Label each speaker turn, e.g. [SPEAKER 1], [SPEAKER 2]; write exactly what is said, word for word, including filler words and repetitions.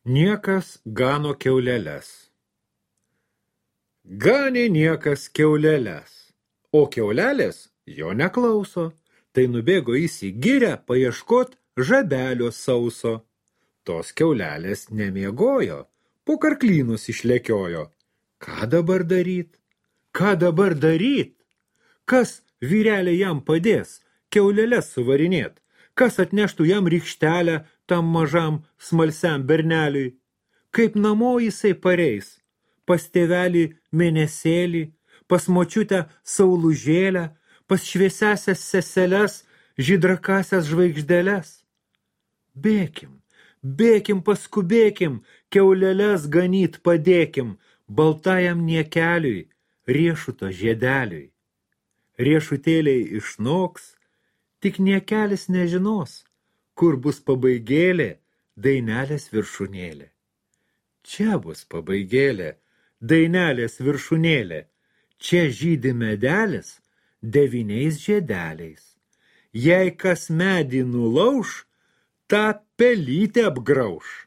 [SPEAKER 1] Niekas gano kiauleles. Ganė niekas kiauleles, o kiaulelės jo neklauso, tai nubėgo jis į girią paieškot žabelio sauso. Tos kiaulelės nemiegojo, po karklynus išlekiojo. Ką dabar daryt? Ką dabar daryt? Kas vyrelė jam padės kiauleles suvarinėt? Kas atneštų jam rykštelę tam mažam smalsiam berneliui? Kaip namo jisai pareis? Pas tėvelį mėnesėlį, pas močiutę saulužėlę, pas šviesiasias seseles, žydrakasias žvaigždeles? Bėkim, bėkim, paskubėkim, kiauleles ganyt padėkim, baltajam niekeliui, riešuto žiedeliui. Riešutėliai išnoks, tik niekelis nežinos, kur bus pabaigėlė, dainelės viršūnėlė. Čia bus pabaigėlė, dainelės viršūnėlė, čia žydi medelis devyniais žiedeliais. Jei kas medį nulauš, tą pelytę apgrauš.